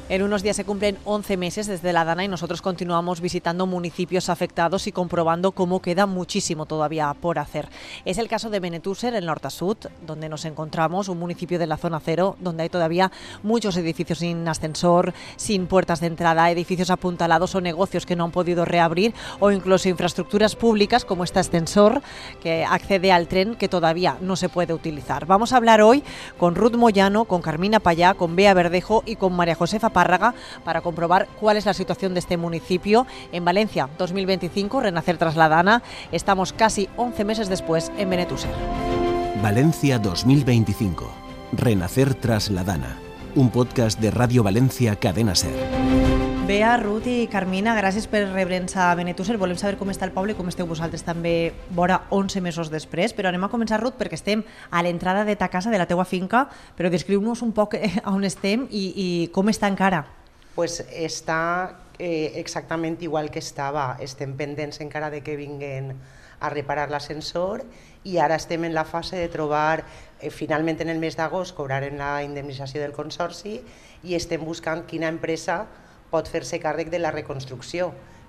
En unos días se cumplen 11 meses desde la Dana y nosotros continuamos visitando municipios afectados y comprobando cómo queda muchísimo todavía por hacer. Es el caso de Benetússer, en Horta-Sud, donde nos encontramos, un municipio de la zona cero, donde hay todavía muchos edificios sin ascensor, sin puertas de entrada, edificios apuntalados o negocios que no han podido reabrir, o incluso infraestructuras públicas como este ascensor que accede al tren que todavía no se puede utilizar. Vamos a hablar hoy con Ruth Moyano, con Carmina Payá, con Bea Verdejo y con María Josefa Párraga para comprobar cuál es la situación de este municipio. En Valencia 2025, renacer tras la Dana. Estamos casi 11 meses después en Benetússer. Valencia 2025, renacer tras la Dana. Un podcast de Radio Valencia Cadena Ser. Bea, Ruth i Carmina, gràcies per rebre'ns a Benetússer. Volem saber com està el poble i com esteu vosaltres també vora 11 mesos després, però anem a començar, Ruth, perquè estem a l'entrada de ta casa, de la teua finca, però descriu-nos un poc on estem i com està encara. Pues està exactament igual que estava. Estem pendents encara de que vinguen a reparar l'ascensor i ara estem en la fase de trobar, finalment en el mes d'agost cobrarem la indemnització del consorci i estem buscant quina empresa pot fer-se càrrec de la reconstrucció,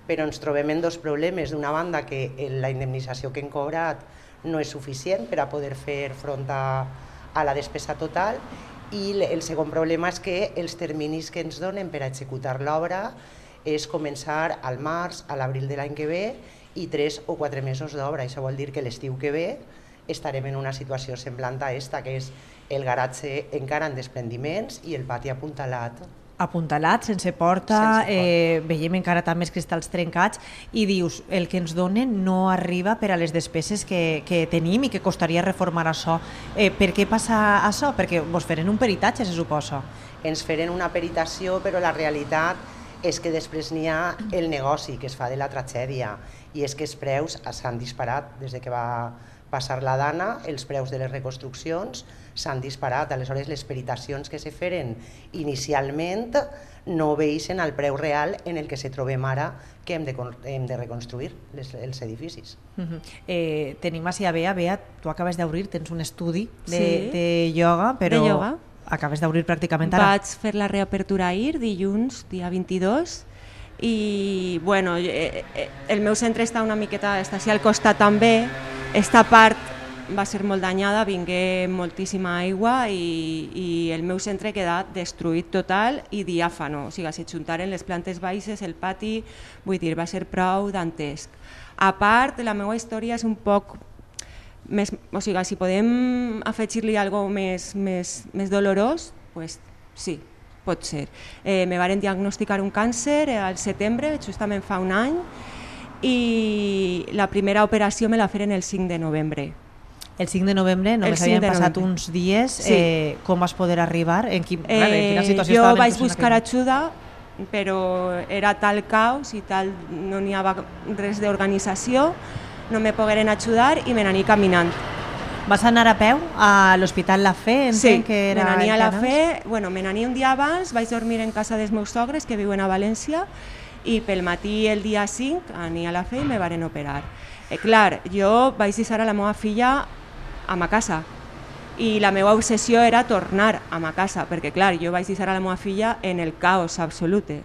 però ens trobem en dos problemes. D'una banda, que la indemnització que hem cobrat no és suficient per a poder fer front a la despesa total, i el segon problema és que els terminis que ens donen per a executar l'obra és començar al març, a l'abril de l'any que ve, i 3 o 4 mesos d'obra. Això vol dir que l'estiu que ve estarem en una situació semblant a esta, que és el garatge encara en desprendiments i el pati apuntalat. Apuntalat, sense porta, veiem encara també els cristalls trencats i dius, el que ens donen no arriba per a les despeses que tenim i que costaria reformar això. Per què passa això? Perquè vos feren un peritatge, se suposa. Ens feren una peritació, però la realitat és que després n'hi ha el negoci que es fa de la tragèdia, i és que els preus s'han disparat des que va passar la Dana, els preus de les reconstruccions s'han disparat. Aleshores, les peritacions que se feren inicialment no obeixen al preu real en el que se trobem ara, que hem de reconstruir els edificis. Tenim així a Bea. Bea, tu acabes d'obrir, tens un estudi de ioga, però acabes d'obrir pràcticament ara. Vaig fer la reapertura ahir, dilluns, dia 22, i bueno, el meu centre està una miqueta, està així al costat també. Esta part va ser molt danyada, vingué moltíssima aigua i el meu centre queda destruït total i diàfano, o sigui, se juntaren les plantes baixes, el pati, vull dir, va ser prou dantesc. A part, la meva història és un poc més, o sigui, si podem afegir-li alguna cosa més dolorós, pues sí, pot ser. Me varen diagnosticar un càncer al setembre, justament fa un any, i la primera operació me la feren el 5 de novembre. El 5 de novembre, només havien passat uns dies. Com vas poder arribar? En quina situació jo estava? vaig buscar ajuda, però era tal caos i tal, no n'hi havia res d'organització, no me pogueren ajudar i me n'anir caminant. Vas anar a peu a l'Hospital La Fe? Sí, me n'anir a La Fe, me n'anir un dia abans, vaig dormir en casa dels meus sogres que viuen a València, i pel matí el dia 5 anir a La Fe i me varen operar. Clar, jo vaig deixar a la meva filla a ma casa i la meva obsessió era tornar a ma casa, perquè clar, jo vaig deixar a la meva filla en el caos absolute.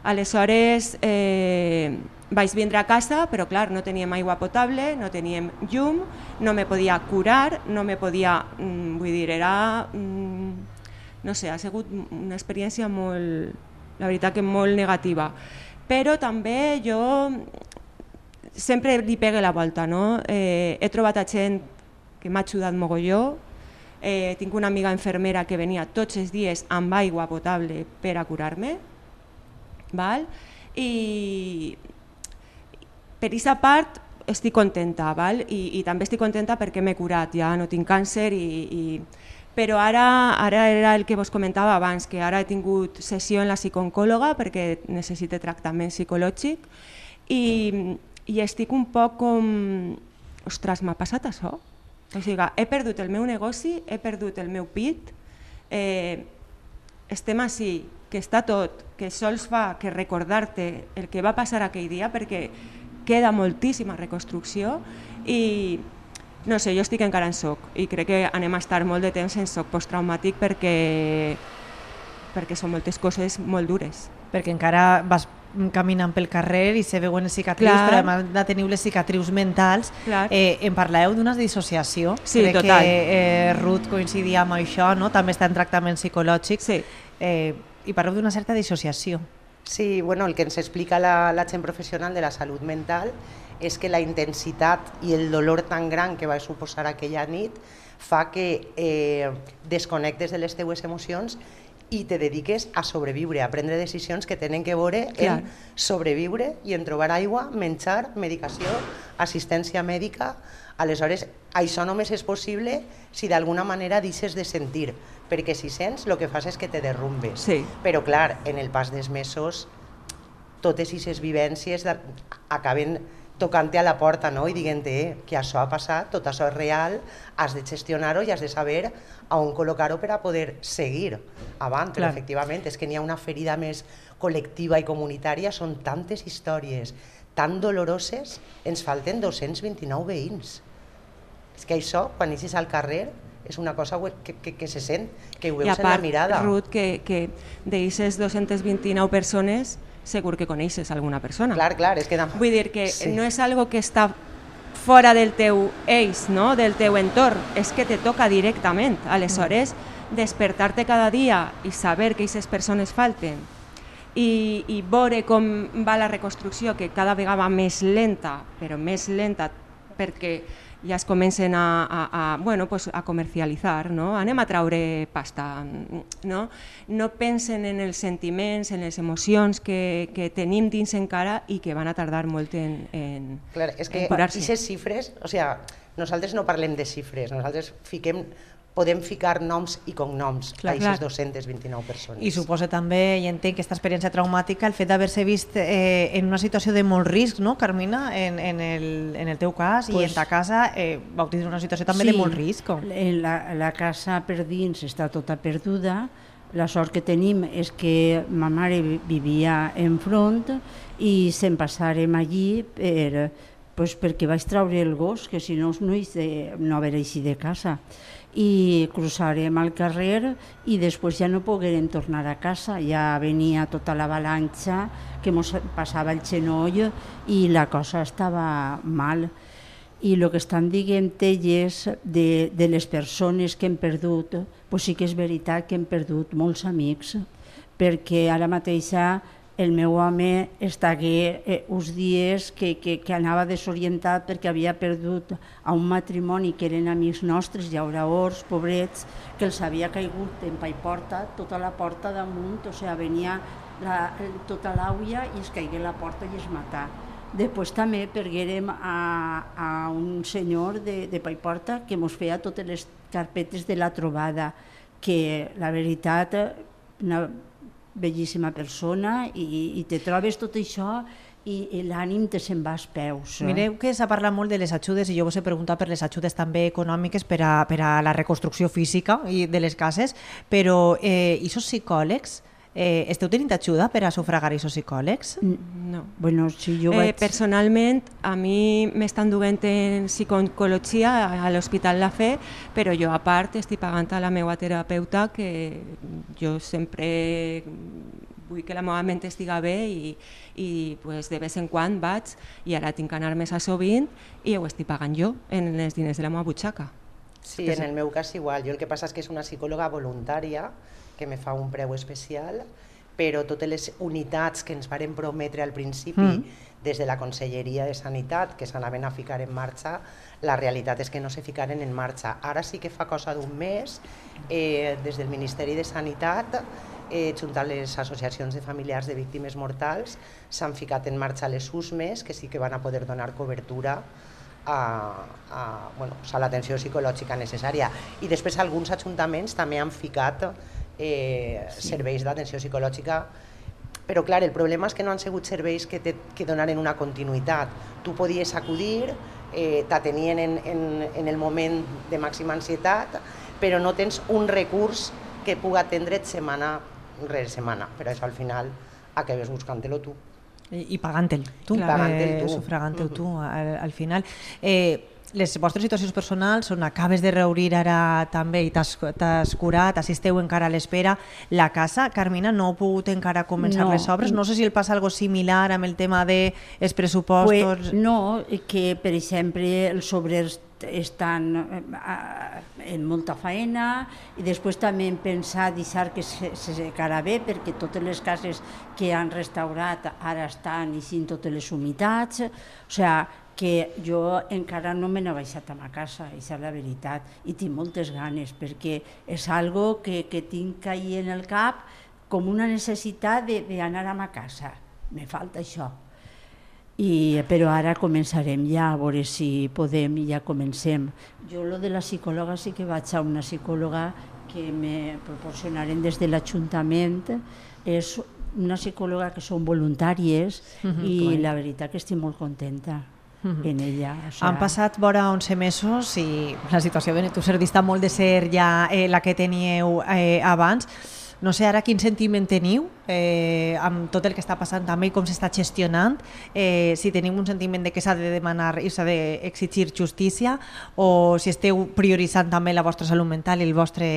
Aleshores vaig vindre a casa, però clar, no teníem aigua potable, no teníem llum, no me podia curar, no me podia, vull dir, era, no sé, ha sigut una experiència molt, la veritat que molt negativa. Però també jo sempre li pegue la volta, no? He trobat a gent que m'ha ajudat mogolló, tinc una amiga infermera que venia tots els dies amb aigua potable per a curar-me, i per aquesta part estic contenta, i també estic contenta perquè m'he curat, ja no tinc càncer, però ara era el que vos comentava abans, que ara he tingut sessió en la psicooncòloga perquè necessite tractament psicològic i estic un poc com, ostres, m'ha passat això? O sigui, he perdut el meu negoci, he perdut el meu pit, estem així, que està tot, que sols fa que recordar-te el que va passar aquell dia perquè queda moltíssima reconstrucció i no sé, jo estic encara en xoc i crec que anem a estar molt de temps en xoc posttraumàtic perquè perquè són moltes coses molt dures. Perquè encara vas caminant pel carrer i se veuen les cicatrius, però a més de tenir les cicatrius mentals. Em parleu d'una dissociació. Sí, crec total. Que Ruth coincidia amb això, no? També està en tractament psicològic. Sí. I parleu d'una certa dissociació. Sí, bueno, el que ens explica la gent professional de la salut mental és que la intensitat i el dolor tan gran que va suposar aquella nit fa que desconnectes de les teues emocions i te dediques a sobreviure, a prendre decisions que tenen que veure en sobreviure i en trobar aigua, menjar, medicació, assistència mèdica. Aleshores, això només és possible si d'alguna manera deixes de sentir, perquè si sents el que fas és que te derrumbes. Sí. Però clar, en el pas dels mesos, totes aquestes vivències acaben tocant-te a la porta, no? I dient-te que això ha passat, tot això és real, has de gestionar-ho i has de saber a on col·locar-ho per a poder seguir avant. Però efectivament és que n'hi ha una ferida més col·lectiva i comunitària, són tantes històries tan doloroses, ens falten 229 veïns. És que això, quan eixes al carrer, és una cosa que se sent, que ho veus en la mirada. I a part, Ruth, que d'aixes 229 persones segur que coneixes alguna persona. Clar, és que... Vull dir que no és algo que està fora del teu eix, no? Del teu entorn, és que te toca directament. Aleshores, despertar-te cada dia i saber que aquestes persones falten i veure com va la reconstrucció, que cada vegada va més lenta, però més lenta perquè ja es comencen a comercialitzar, no? Anem a traure pasta, no? No pensen en els sentiments, en les emocions que tenim dins encara i que van a tardar molt en Clar, és que aquestes xifres, o sigui, nosaltres no parlem de xifres, nosaltres podem ficar noms i cognoms a aquestes 229 persones. I suposa també, i entenc, aquesta experiència traumàtica, el fet d'haver-se vist en una situació de molt risc, no, Carmina? En el teu cas i en ta casa vau tindre una situació també de molt risc. La casa per dins està tota perduda. La sort que tenim és que ma mare vivia enfront i se'n passàrem allí perquè vaig treure el gos, que si no no haver eixit de casa. I cruzarem al carrer i després ja no poguérem tornar a casa, ja venia tota l'avalanxa que ens passava el genoll i la cosa estava mal. I el que estan dient elles de les persones que hem perdut, doncs sí que és veritat que hem perdut molts amics, perquè ara mateixa el meu home estagué uns dies que anava desorientat perquè havia perdut a un matrimoni que eren amics nostres, llauraors, pobrets, que els havia caigut en paiporta, tota la porta damunt, o sigui, venia tota l'auia i es caigué la porta i es matà. Després també perguérem a un senyor de paiporta que ens feia totes les carpetes de la trobada, que la veritat, una bellíssima persona, i te trobes tot això i l'ànim te se'n va als peus. Mireu que s'ha parlat molt de les ajudes i jo vos he preguntat per les ajudes també econòmiques per a la reconstrucció física de les cases, però aquests psicòlegs, esteu tenint ajuda per a sufragar aquests psicòlegs? No. Bueno, si jo vaig... Personalment, a mi m'estan duent en psicologia a l'Hospital La Fe, però jo a part estic pagant a la meva terapeuta, que jo sempre vull que la meva ment estiga bé i de vez en quan vaig, i ara tinc que anar més a sovint i ho estic pagant jo en els diners de la meva butxaca. Sí, en el meu cas igual. Jo el que passa és que és una psicòloga voluntària que me fa un preu especial, però totes les unitats que ens varen prometre al principi des de la Conselleria de Sanitat, que s'anaven a ficar en marxa, la realitat és que no se ficaren en marxa. Ara sí que fa cosa d'un mes, des del Ministeri de Sanitat, junt a les associacions de familiars de víctimes mortals, s'han ficat en marxa les USMES, que sí que van a poder donar cobertura a l'atenció psicològica necessària. I després alguns ajuntaments també han ficat serveis d'atenció psicològica, però clar, el problema és que no han sigut serveis que donaren una continuïtat. Tu podies acudir, t'atenien en el moment de màxima ansietat, però no tens un recurs que pugui atendre't setmana rere setmana, però això al final acabes buscant-te-lo tu. I pagant-te'l tu, sufragant-te'l tu al final. les vostres situacions personals són acabes de reobrir ara també i t'has curat, assisteu encara a l'espera. La casa, Carmina, no heu pogut encara començar les obres? No sé si el passa algo similar amb el tema dels pressupostos. No, que per exemple els obrers estan en molta feina i després també hem pensat deixar que se secarà bé perquè totes les cases que han restaurat ara estan eixint totes les humitats, o sigui que jo encara no me n'he baixat a ma casa, això és la veritat, i tinc moltes ganes perquè és algo que tinc ahí en el cap com una necessitat d'anar a ma casa, me falta això. Però ara començarem ja a veure si podem i ja comencem. Jo lo de la psicòloga sí que vaig a una psicòloga que me proporcionaren des de l'Ajuntament, és una psicòloga que són voluntàries i la veritat que estic molt contenta en ella. Han passat vora 11 mesos i la situació de Benetússer dista molt de ser ja la que teníeu abans. No sé ara quin sentiment teniu amb tot el que està passant també i com s'està gestionant, si teniu un sentiment de que s'ha de demanar i s'ha d'exigir justícia o si esteu prioritzant també la vostra salut mental i el vostre,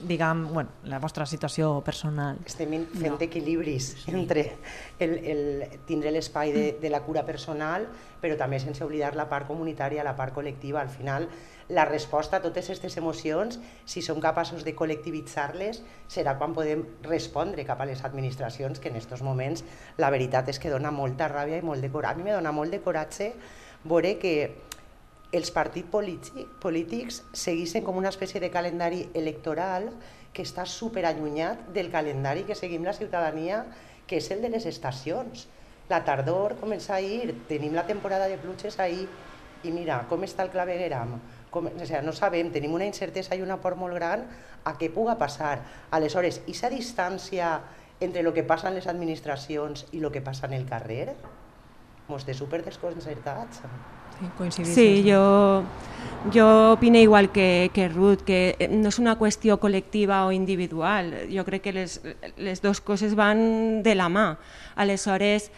diguem, la vostra situació personal. Estem fent equilibris entre tindre l'espai de la cura personal, però també sense oblidar la part comunitària, la part col·lectiva. Al final, la resposta a totes aquestes emocions, si som capaços de col·lectivitzar-les, serà quan podem respondre cap a les administracions, que en aquests moments la veritat és que dona molta ràbia i molt de coratge. A mi me dona molt de coratge veure que els partits polítics segueixen com una espècie de calendari electoral que està superallunyat del calendari que seguim la ciutadania, que és el de les estacions. La tardor comença ahir, tenim la temporada de pluges ahir, i mira com està el clavegueram. No sabem, tenim una incertesa i una por molt gran a què puga passar. Aleshores, aquesta distància entre el que passa en les administracions i el que passa en el carrer, ens té super desconcertats. Sí, yo opino igual que Ruth, que no es una qüestió col·lectiva o individual. Jo crec que les dues coses van de la mà. Aleshores,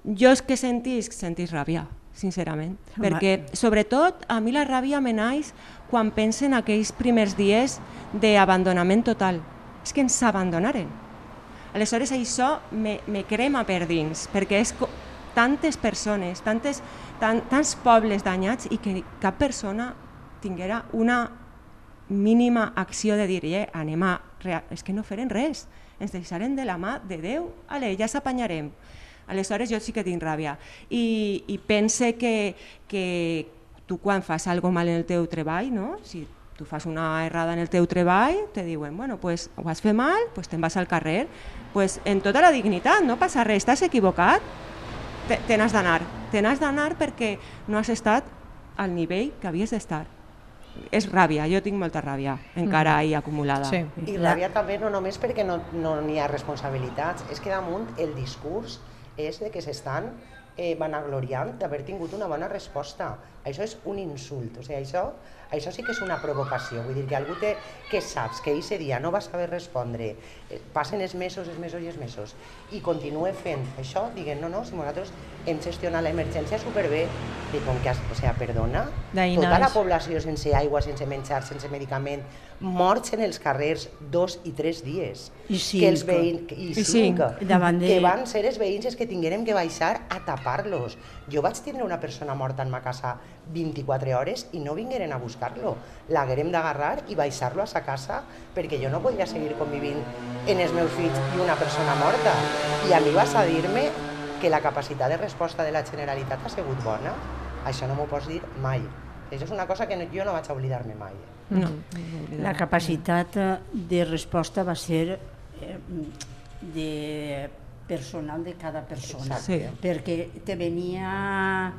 jo és que sentís ràbia, sincerament, perquè sobretot a mi la ràbia me naix quan pensen aquells primers dies d'abandonament total. És que ens abandonaren. Aleshores això me crema per dins, perquè és tantes persones, tants pobles danyats i que cap persona tinguera una mínima acció de dir anem a... És que no feren res, ens deixaren de la mà de Déu, ja s'apanyarem. Aleshores jo sí que tinc ràbia i pense que tu quan fas alguna mal en el teu treball, no? Si tu fas una errada en el teu treball, te diuen, bueno, pues ho has fet mal, pues te'n vas al carrer, pues en tota la dignitat, no passa res, estàs equivocat, te n'has d'anar perquè no has estat al nivell que havies d'estar. És ràbia, jo tinc molta ràbia encara ahí acumulada. Sí. I ràbia també no només perquè no n'hi ha responsabilitats, és que damunt el discurs és de que s'estan vanagloriant d'haver tingut una bona resposta. Això és un insult, o sigui, això sí que és una provocació, vull dir que algú que saps que aquest dia no va saber respondre, passen els mesos i continua fent això, diguem, no, si nosaltres hem gestionat l'emergència superbé, i com que, o sigui, perdona, tota la població sense aigua, sense menjar, sense medicament, morts en els carrers 2 i 3 dies. I 5. Que van ser els veïns que tinguérem que baixar a tapar-los. Jo vaig tindre una persona morta en ma casa 24 hores i no vingueren a buscar-lo. L'haguérem d'agarrar i baixar-lo a sa casa perquè jo no podia seguir convivint en els meus fills i una persona morta. I a mi vas a dir-me que la capacitat de resposta de la Generalitat ha sigut bona. Això no m'ho pots dir mai. Això és una cosa que jo no vaig oblidar-me mai. No. La capacitat de resposta va ser de personal de cada persona. Perquè te venia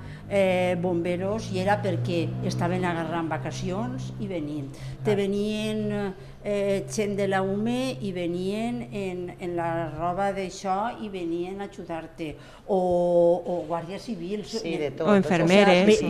bomberos i era perquè estaven agarrant vacacions i venint. Te venien gent de la UME i venien en la roba d'això i venien a ajudar-te, o guàrdies civils, de tot, o infermeres.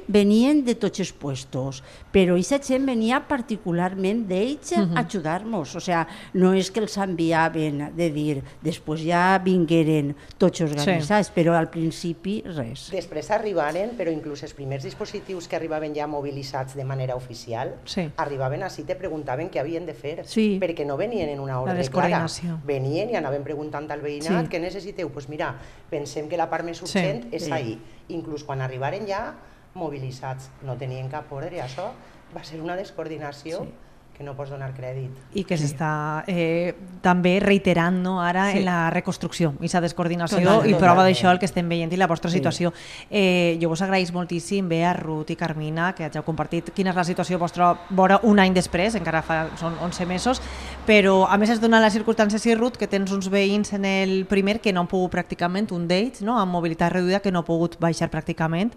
venien de tots els puestos, però aquesta gent venia particularment d'ells a ajudar-nos, o sea, no és que els enviaven de dir, després ja vingueren tots organitzats, però al principi res. Després arribaren, però inclús els primers dispositius que arribaven ja mobilitzats de manera oficial, arribaven així, te preguntaven què havien de fer, perquè no venien en una ordre clara. Venien i anaven preguntant al veïnat què necessiteu. Doncs mira, pensem que la part més urgent és ahir. Inclús quan arribaren ja mobilitzats, no tenien cap ordre, i això va ser una descoordinació que no pots donar crèdit. I que s'està també reiterant, no, ara en la reconstrucció, aquesta descoordinació, i prova d'això el que estem veient i la vostra situació. Jo us agraïs moltíssim, Bea, Ruth i Carmina, que hàgiu compartit quina és la situació vostra vora un any després, encara són 11 mesos, però a més es dona la circumstància, sí, Ruth, que tens uns veïns en el primer que no han pogut pràcticament, un d'ells, no, amb mobilitat reduïda, que no ha pogut baixar pràcticament.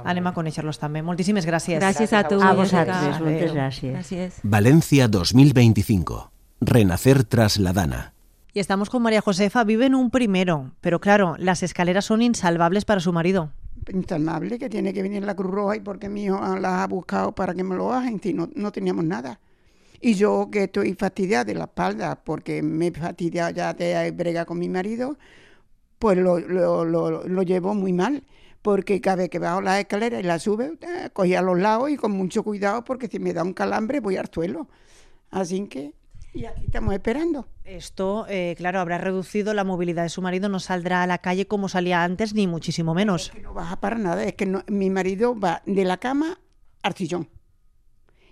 Anem a conèixer-los també. Moltíssimes gràcies. Gràcies a tu. A vosaltres, moltes gràcies. Valencia 2025. Renacer tras la Dana. Y estamos con María Josefa. Vive en un primero, pero claro, las escaleras son insalvables para su marido. Insalvable, que tiene que venir la Cruz Roja y porque mi hijo las ha buscado para que me lo hagan, si no teníamos nada. Y yo que estoy fastidiada de la espalda porque me he fastidiado ya de bregar con mi marido, pues lo llevo muy mal. Porque cada vez que bajo las escaleras y las sube, cogí a los lados y con mucho cuidado, porque si me da un calambre voy al suelo. Así que, y aquí estamos esperando. Esto, claro, habrá reducido la movilidad de su marido, no saldrá a la calle como salía antes, ni muchísimo menos. Es que no baja para nada, es que mi marido va de la cama al sillón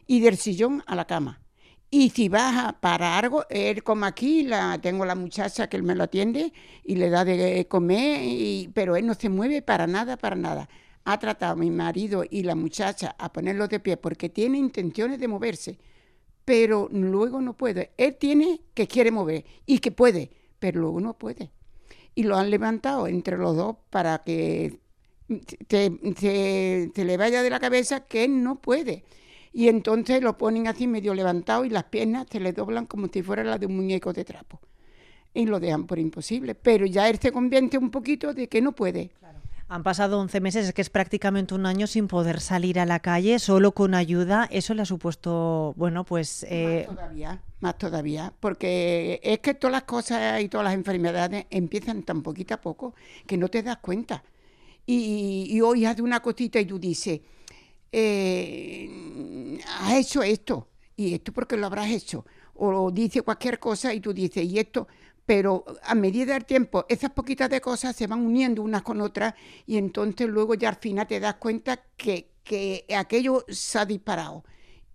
y del sillón a la cama. Y si baja para algo, él como aquí, tengo la muchacha que él me lo atiende y le da de comer, pero él no se mueve para nada. Ha tratado mi marido y la muchacha a ponerlo de pie porque tiene intenciones de moverse, pero luego no puede. Él tiene que quiere mover y que puede, pero luego no puede. Y lo han levantado entre los dos para que se le vaya de la cabeza que él no puede. Y entonces lo ponen así medio levantado y las piernas se le doblan como si fuera la de un muñeco de trapo. Y lo dejan por imposible. Pero ya él se convierte un poquito de que no puede. Claro. Han pasado 11 meses, es que es prácticamente un año sin poder salir a la calle, solo con ayuda. Eso le ha supuesto, bueno, pues... Más todavía, porque es que todas las cosas y todas las enfermedades empiezan tan poquito a poco que no te das cuenta. Y hoy haces una cosita y tú dices... has hecho esto, y esto porque lo habrás hecho, o dice cualquier cosa y tú dices, y esto, pero a medida del tiempo, esas poquitas de cosas se van uniendo unas con otras, y entonces luego ya al final te das cuenta que aquello se ha disparado,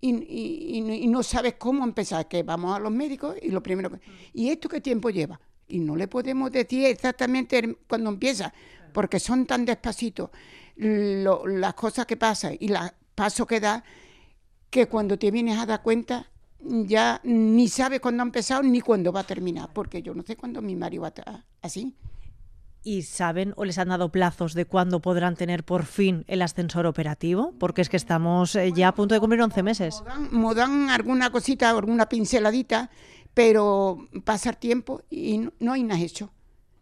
y no sabes cómo empezar, que vamos a los médicos, y lo primero ¿y esto qué tiempo lleva? Y no le podemos decir exactamente cuando empieza, porque son tan despacitos las cosas que pasan y los pasos que da, que cuando te vienes a dar cuenta ya ni sabes cuándo ha empezado ni cuándo va a terminar, porque yo no sé cuándo mi marido va a estar así. ¿Y saben o les han dado plazos de cuándo podrán tener por fin el ascensor operativo? Porque es que estamos ya a punto de cumplir 11 meses. Me dan alguna cosita, alguna pinceladita, pero pasa el tiempo y no hay nada hecho.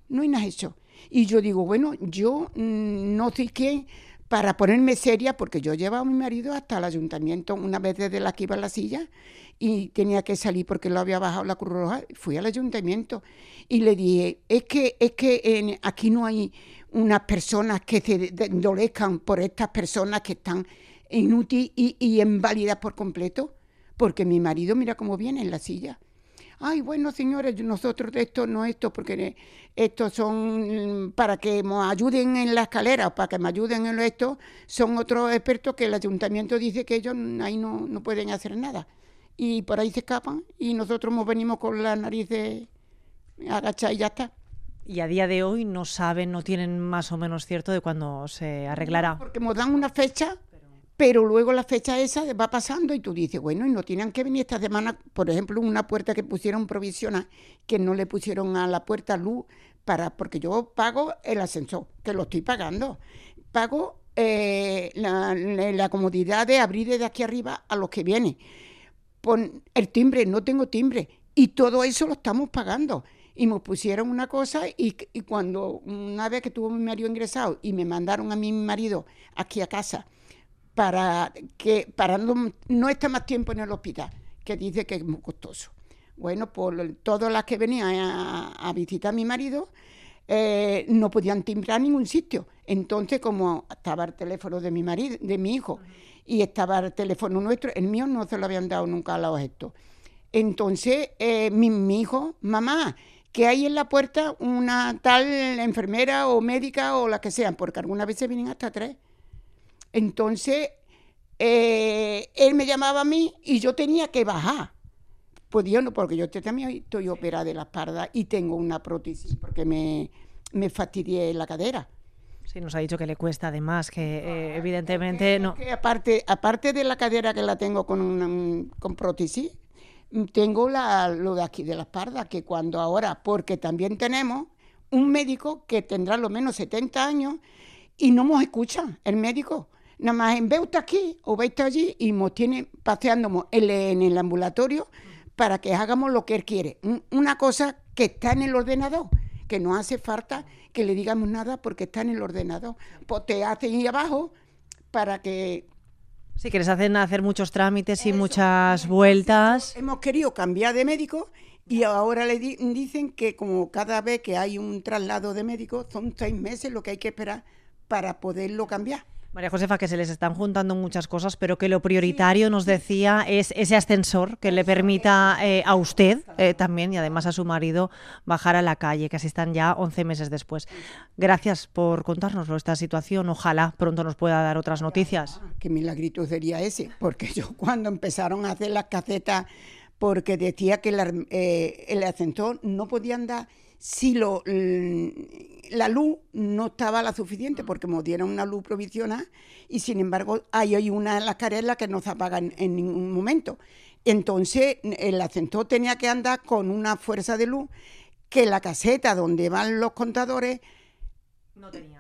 No hay nada hecho. Y yo digo, bueno, yo no sé qué, para ponerme seria, porque yo llevaba a mi marido hasta el ayuntamiento una vez desde la que iba en la silla y tenía que salir porque lo había bajado la Cruz Roja. Fui al ayuntamiento y le dije, es que aquí no hay unas personas que se endolezcan por estas personas que están inútiles y inválidas por completo, porque mi marido mira cómo viene en la silla. Ay, bueno, señores, nosotros de esto no porque estos son para que nos ayuden en la escalera o para que me ayuden en esto, son otros expertos que el ayuntamiento dice que ellos ahí no pueden hacer nada. Y por ahí se escapan y nosotros nos venimos con la nariz agachada y ya está. Y a día de hoy no saben, no tienen más o menos cierto de cuándo se arreglará. No, porque nos dan una fecha, pero luego la fecha esa va pasando y tú dices, bueno, y no tienen que venir esta semana, por ejemplo, una puerta que pusieron provisional, que no le pusieron a la puerta luz, porque yo pago el ascensor, que lo estoy pagando. Pago la comodidad de abrir desde aquí arriba a los que vienen. pon el timbre, no tengo timbre. Y todo eso lo estamos pagando. Y me pusieron una cosa y cuando una vez que tuvo mi marido ingresado y me mandaron a mi marido aquí a casa para no estar más tiempo en el hospital, que dice que es muy costoso. Bueno, por todas las que venían a visitar a mi marido no podían timbrar en ningún sitio. Entonces, como estaba el teléfono de mi marido, de mi hijo, y estaba el teléfono nuestro, el mío no se lo habían dado nunca a los estos. Entonces, mi hijo, mamá, que hay en la puerta una tal enfermera o médica o la que sean, porque algunas veces vienen hasta 3. Entonces, él me llamaba a mí y yo tenía que bajar. Pues yo no, porque yo también estoy operada de la espalda y tengo una prótesis porque me fastidié la cadera. Sí, nos ha dicho que le cuesta además, que evidentemente no. Que aparte de la cadera que la tengo con prótesis, tengo lo de aquí de la espalda, que cuando ahora, porque también tenemos un médico que tendrá lo menos 70 años y no nos escucha el médico. Nada más en ve usted aquí o ve usted allí y nos tiene paseándonos en el ambulatorio para que hagamos lo que él quiere. Una cosa que está en el ordenador, que no hace falta que le digamos nada porque está en el ordenador. Pues te hacen ahí abajo para que... Sí, que les hacen hacer muchos trámites y muchas vueltas. Hemos querido cambiar de médico y ahora le dicen que como cada vez que hay un traslado de médico son 6 meses lo que hay que esperar para poderlo cambiar. María Josefa, que se les están juntando muchas cosas, pero que lo prioritario, nos decía, es ese ascensor que le permita a usted también y además a su marido bajar a la calle, que así están ya 11 meses después. Gracias por contárnoslo, esta situación. Ojalá pronto nos pueda dar otras noticias. Qué milagrito sería ese, porque yo cuando empezaron a hacer las casetas, porque decía que el ascensor no podía andar si la luz no estaba la suficiente, porque nos dieron una luz provisional y sin embargo hay una de las caretas que no se apaga en ningún momento. Entonces el ascensor tenía que andar con una fuerza de luz que la caseta donde van los contadores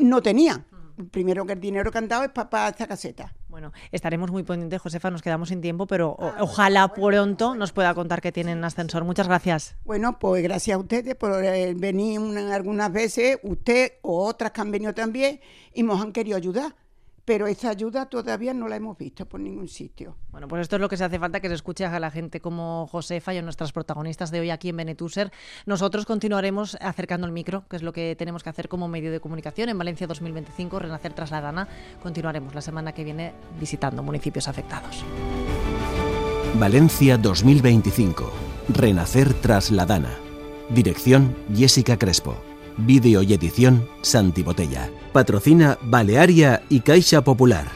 no tenía. Primero que el dinero que han dado es para esta caseta. Bueno, estaremos muy pendientes, Josefa, nos quedamos sin tiempo, pero ojalá pronto nos pueda contar que tienen ascensor. Muchas gracias. Bueno, pues gracias a ustedes por venir algunas veces, usted o otras que han venido también, y nos han querido ayudar. Pero esa ayuda todavía no la hemos visto por ningún sitio. Bueno, pues esto es lo que se hace falta, que se escuche a la gente como Josefa y a nuestras protagonistas de hoy aquí en Benetúser. Nosotros continuaremos acercando el micro, que es lo que tenemos que hacer como medio de comunicación. En Valencia 2025, Renacer tras la Dana. Continuaremos la semana que viene visitando municipios afectados. Valencia 2025, Renacer tras la Dana. Dirección: Jessica Crespo. Vídeo y edición: Santi Botella. Patrocina Balearia y Caixa Popular.